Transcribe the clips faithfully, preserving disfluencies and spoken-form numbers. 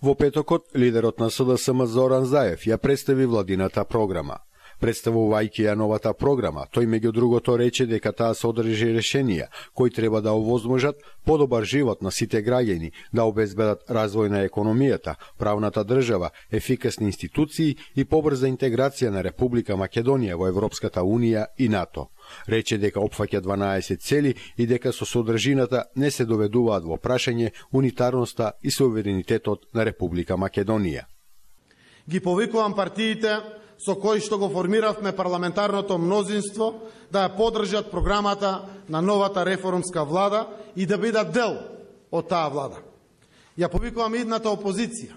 Во петокот, лидерот на С Д С М Зоран Заев ја представи владината програма. Представувајќи ја новата програма, тој меѓу другото рече дека таа содржи решенија кои треба да овозможат подобар живот на сите граѓани, да обезбедат развој на економијата, правната држава, ефикасни институции и побрза интеграција на Република Македонија во Европската Унија и НАТО. Рече дека опфаќа дванаесет цели и дека со содржината не се доведуваат во прашање унитарноста и суверенитетот на Република Македонија. Ги повикувам партиите со кои што го формиравме парламентарното мнозинство да ја поддржат програмата на новата реформска влада и да бидат дел од таа влада. Ја повикувам идната опозиција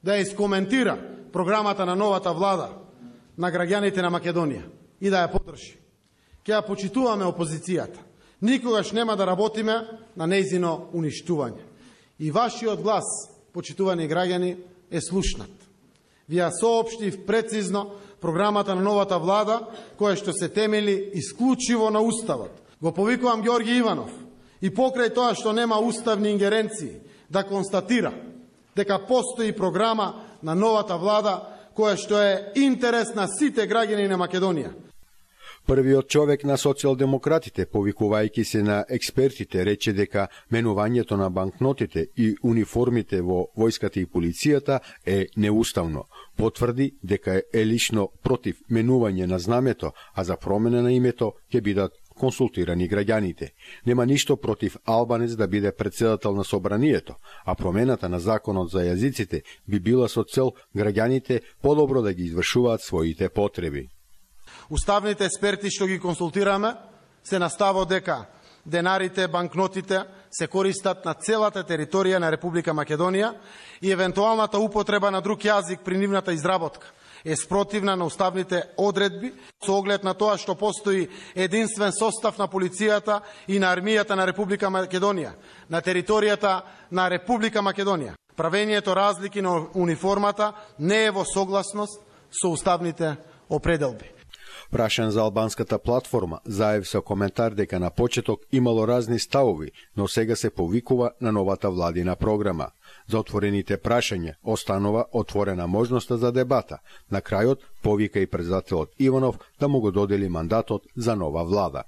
да ја искоментира програмата на новата влада на граѓаните на Македонија и да ја поддржи. Ќе ја почитуваме опозицијата. Никогаш нема да работиме на нејзино уништување. И вашиот глас, почитувани граѓани, е слушнат. Ви ја соопштив прецизно програмата на новата влада, која што се темели исклучиво на Уставот. Го повикувам Ѓорги Иванов и покрај тоа што нема уставни ингеренции да констатира дека постои програма на новата влада која што е интерес на сите граѓани на Македонија. Првиот човек на социјалдемократите, повикувајќи се на експертите, рече дека менувањето на банкнотите и униформите во војската и полицијата е неуставно. Потврди дека е лично против менување на знамето, а за промена на името ќе бидат консултирани граѓаните. Нема ништо против албанец да биде председател на собранието, а промената на законот за јазиците би била со цел граѓаните подобро да ги извршуваат своите потреби. Уставните експерти што ги консултираме се наставо дека денарите, банкнотите се користат на целата територија на Република Македонија и евентуалната употреба на друг јазик при нивната изработка е спротивна на уставните одредби со оглед на тоа што постои единствен состав на полицијата и на армијата на Република Македонија на територијата на Република Македонија. Правењето разлики на униформата не е во согласност со уставните определби. Прашан за албанската платформа, Заев со коментар дека на почеток имало разни ставови, но сега се повикува на новата владина програма. За отворените прашања останува отворена можноста за дебата. На крајот повика и председателот Иванов да му го додели мандатот за нова влада.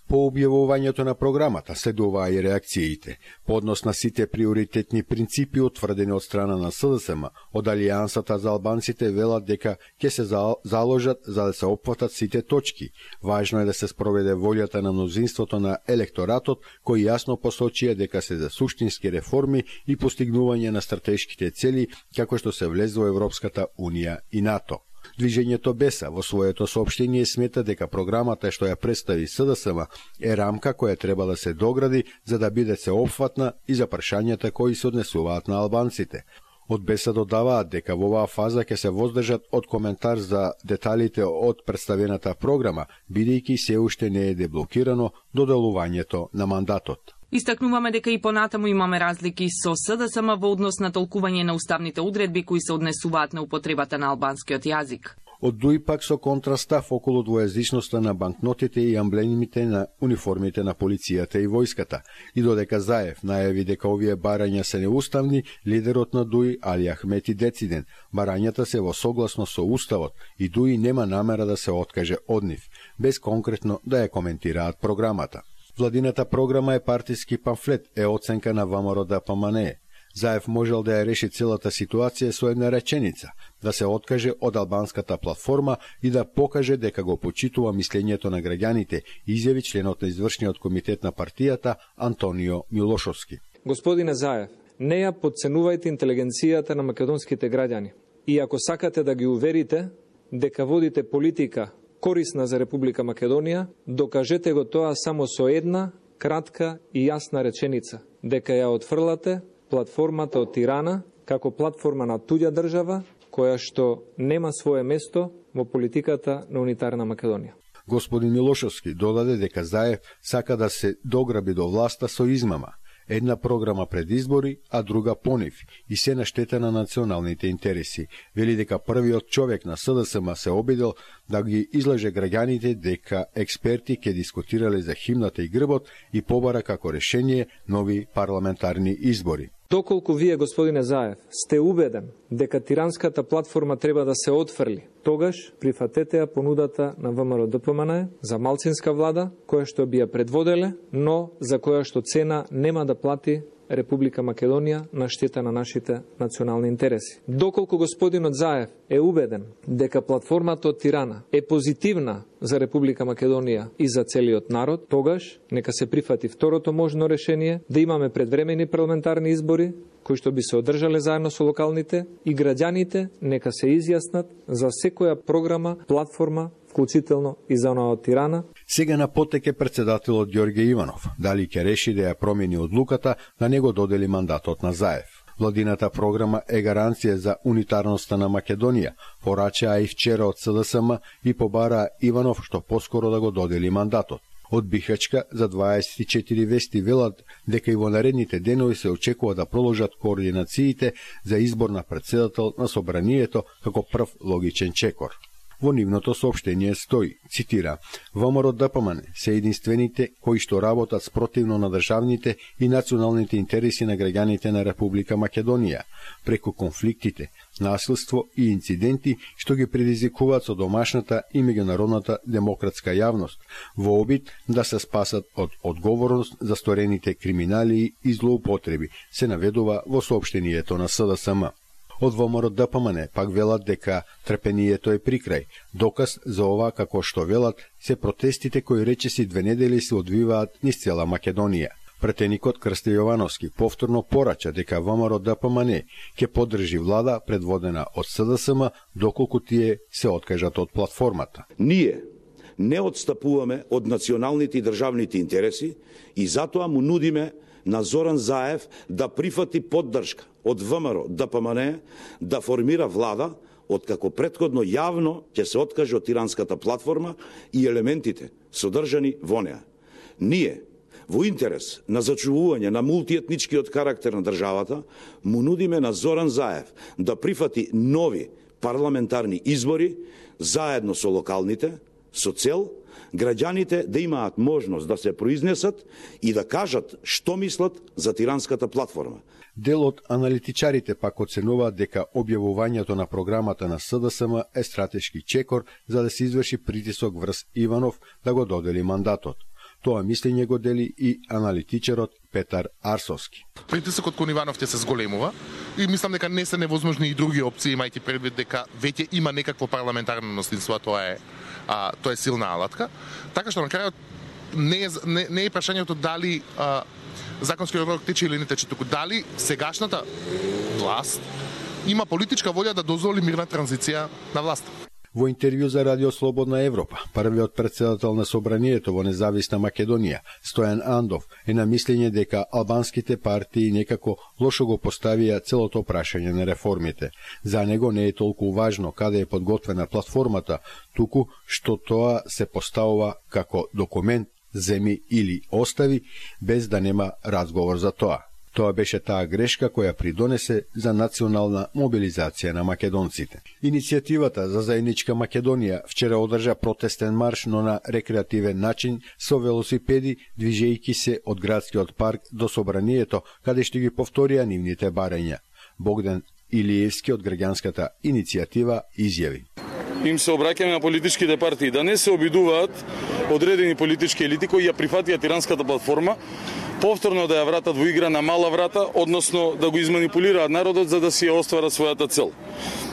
По објавувањето на програмата следуваа и реакциите. Поднос на сите приоритетни принципи утврдени од страна на С Д С М, од Алијансата за албанците велат дека ќе се заложат за да се опфатат сите точки. Важно е да се спроведе волјата на мнозинството на електоратот, кои јасно посочија дека се за суштински реформи и постигнување на стратешките цели, како што се влез во Европската Унија и НАТО. Движењето Беса во своето соопштение смета дека програмата што ја представи С Д С М е рамка која треба да се догради за да биде сеопфатна и за прашањата кои се однесуваат на албанците. Од Беса додаваат дека во оваа фаза ќе се воздржат од коментар за деталите од представената програма, бидејќи се уште не е деблокирано доделувањето на мандатот. Истакнуваме дека и понатаму имаме разлики со С Д С М во однос на толкување на уставните одредби кои се однесуваат на употребата на албанскиот јазик. Од Дуи пак со контрастав околу двојазичноста на банкнотите и амблемите на униформите на полицијата и војската. И додека Заев најави дека овие барања се неуставни, лидерот на Дуи Али Ахмети дециден. Барањата се во согласно со уставот и Дуи нема намера да се откаже од нив, без конкретно да ја коментираат програмата. Владината програма е партиски памфлет, е оценка на ВМРО Д П М Н Е. Заев можел да ја реши целата ситуација со една реченица, да се откаже од албанската платформа и да покаже дека го почитува мислењето на граѓаните, изјави членот на извршниот комитет на партијата Антонио Милошовски. Господине Заев, не ја потценувајте интелигенцијата на македонските граѓани. И ако сакате да ги уверите дека водите политика корисна за Република Македонија, докажете го тоа само со една кратка и јасна реченица, дека ја отфрлате платформата од Тирана како платформа на туѓа држава, која што нема свое место во политиката на унитарна Македонија. Господин Милошовски додаде дека Заев сака да се дограби до власта со измама. Една програма пред избори, а друга по нив, и се на штета на националните интереси. Вели дека првиот човек на С Д С М се обидел да ги излаже граѓаните дека експерти ќе дискутирале за химната и грбот и побара како решение нови парламентарни избори. Доколку вие, господине Заев, сте убеден дека тиранската платформа треба да се отфрли, тогаш прифатете ја понудата на ВМРО Д П М Н за малцинска влада, која што би ја предводеле, но за која што цена нема да плати Република Македонија на штета на нашите национални интереси. Доколку господинот Заев е убеден дека платформата од Тирана е позитивна за Република Македонија и за целиот народ, тогаш нека се прифати второто можно решение да имаме предвремени парламентарни избори кои што би се одржале заедно со локалните и граѓаните нека се изјаснат за секоја програма, платформа, вклучително и за онаа од Тирана. Сега на потек е председателот Ѓорѓе Иванов. Дали ќе реши да ја промени одлуката да не го додели мандатот на Заев. Владината програма е гаранција за унитарноста на Македонија, порачаа и вчера од С Д С М и побараа Иванов што поскоро да го додели мандатот. Од Бихачка за дваесет и четири вести велат дека и во наредните денови се очекува да продолжат координациите за избор на председател на собранието како прв логичен чекор. Во нивното соопштение стои, цитира, ВМРО Д П М Н се единствените кои што работат спротивно на државните и националните интереси на граѓаните на Република Македонија, преку конфликтите, насилство и инциденти што ги предизвикуваат со домашната и меѓународната демократска јавност, во обид да се спасат од одговорност за сторените криминали и злоупотреби, се наведува во соопштението на С Д С М. Од ВМРО Д П М Н пак велат дека трпението е прикрај. Доказ за ова, како што велат, се протестите кои речиси две недели се одвиваат низ цела Македонија. Претеникот Крсто Јовановски повторно порача дека ВМРО Д П М Н ќе поддржи влада предводена од С Д С М доколку тие се откажат од платформата. Ние не отстапуваме од националните и државните интереси и затоа му нудиме на Зоран Заев да прифати поддршка од ВМРО Д П М Н да формира влада, откако претходно јавно ќе се откаже од тиранската платформа и елементите содржани во неа. Ние, во интерес на зачувување на мултиетничкиот карактер на државата, му нудиме на Зоран Заев да прифати нови парламентарни избори заедно со локалните, со цел граѓаните да имаат можност да се произнесат и да кажат што мислат за тиранската платформа. Дел од аналитичарите пак оценуваат дека објавувањето на програмата на С Д С М е стратешки чекор за да се изврши притисок врз Иванов да го додели мандатот. Тоа мислење го дели и аналитичарот Петар Арсовски. Притисокот кон Иванов ќе се зголемува и мислам дека не се невозможни и други опции, имајќи предвид дека веќе има некакво парламентарно мнозинство, а тоа е а, тоа е силна алатка. Така што на крајот не е не, не е прашањето дали а, законскиот рок тече или не тече, туку дали сегашната власт има политичка волја да дозволи мирна транзиција на власта. Во интервју за Радио Слободна Европа, првиот председател на собранието во независна Македонија, Стојан Андов, е на мислење дека албанските партии некако лошо го поставија целото прашање на реформите. За него не е толку важно каде е подготвена платформата, туку што тоа се поставува како документ, земи или остави, без да нема разговор за тоа. Тоа беше таа грешка која придонесе за национална мобилизација на македонците. Иницијативата за заедничка Македонија вчера одржа протестен марш, но на рекреативен начин со велосипеди, движејќи се од градскиот парк до собранието, каде што ги повторија нивните барања. Богдан Илиевски од граѓанската иницијатива изјави: им се обраќаме на политичките партии да не се обидуваат одредени политички елити кои ја прифатија тиранската платформа, повторно да ја вратат во игра на мала врата, односно да го изманипулираат народот за да си ја остварат својата цел.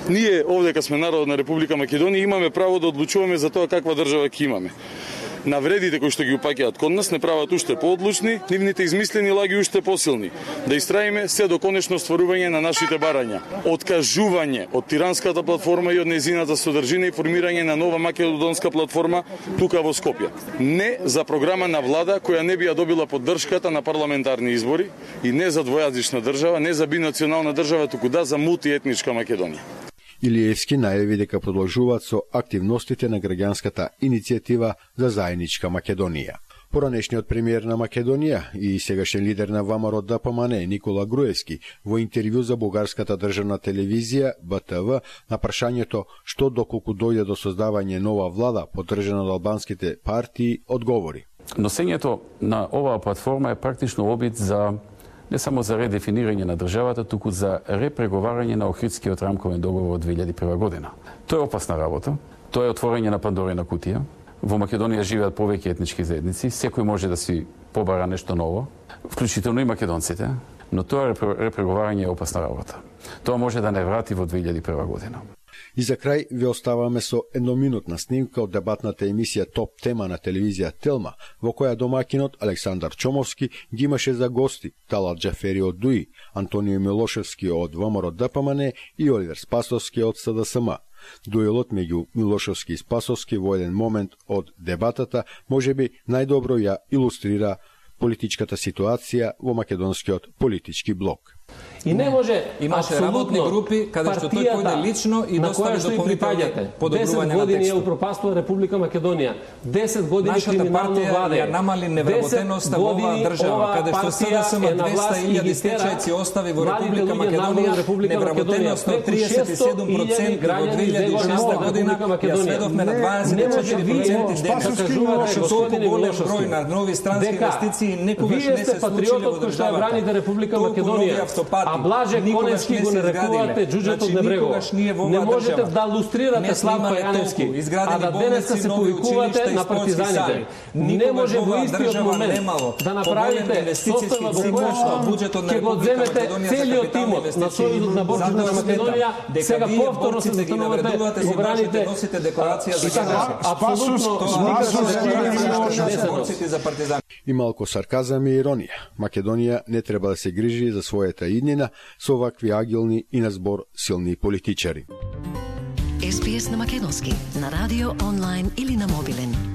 Ние овде, кога сме народ на Република Македонија, имаме право да одлучуваме за тоа каква држава ќе имаме. Навредите кои што ги упаќаат кон нас не прават уште поодлучни, нивните измислени лаги уште посилни. Да истраиме се до конечно стварување на нашите барања. Откажување од тиранската платформа и од нејзината содржина и формирање на нова македонска платформа тука во Скопје. Не за програма на влада која не би ја добила поддршката на парламентарни избори и не за двојазична држава, не за бинационална држава, туку да за мултиетничка Македонија. Илиевски најави дека продолжуваат со активностите на граѓанската иницијатива за заедничка Македонија. Поранешниот премиер на Македонија и сегашен лидер на ВМРО Д П М Н Никола Груевски во интервју за бугарската државна телевизија Б Т В на прашањето што доколку дојде до создавање нова влада поддржана од албанските партии одговори: Носењето на оваа платформа е практично обид за не само за редефинирање на државата, туку за репреговарање на Охридскиот рамковен договор од две илјади и прва година. Тоа е опасна работа. Тоа е отворање на Пандорина кутија. Во Македонија живеат повеќе етнички заедници, секој може да си побара нешто ново, вклучително и македонците, но тоа репреговарање е опасна работа. Тоа може да не врати во две илјади и прва година. И за крај ви оставаме со едноминутна снимка од дебатната емисија Топ тема на телевизија Телма, во која домакинот Александар Чомовски ги имаше за гости Талат Џафери од ДУИ, Антонио Милошевски од ВМРО Д П М Н и Оливер Спасовски од С Д С М. Дуелот меѓу Милошевски и Спасовски во еден момент од дебатата можеби најдобро ја илустрира политичката ситуација во македонскиот политички блок. И не може имаше работни групи каде што тој појде лично и достави дополнителни подобрувања на години е текстот. упропастила Република Македонија. десет години Нашата криминално партија владење. ја намали невработеноста во оваа држава, каде што С Д С М двеста илјади стечајци остави во Република Македонија, невработеност од триесет и седум проценти во две илјади и шеста година, ја сведовме на дваесет и четири проценти денес. Толку голем број на нови странски инвестиции некогаш не се случиле во државата. Република Македонија, а Блаже Коневски го нарекувате џуџето од Небрегова. Не можете да лустрирате Славко Јаневски, а да денеска се повикувате на партизаните. Не може во истиот момент да направите состава во кој ќе го земете целиот тимот на Сојузот на борците на Македонија, сега повторно се застанувате во браните и така, апсолутно и малку сарказам и иронија. Македонија не треба да се грижи за својата иднина со овакви агилни и на збор силни политичари. Ес Би Ес на македонски, на радио, онлайн или на мобилен.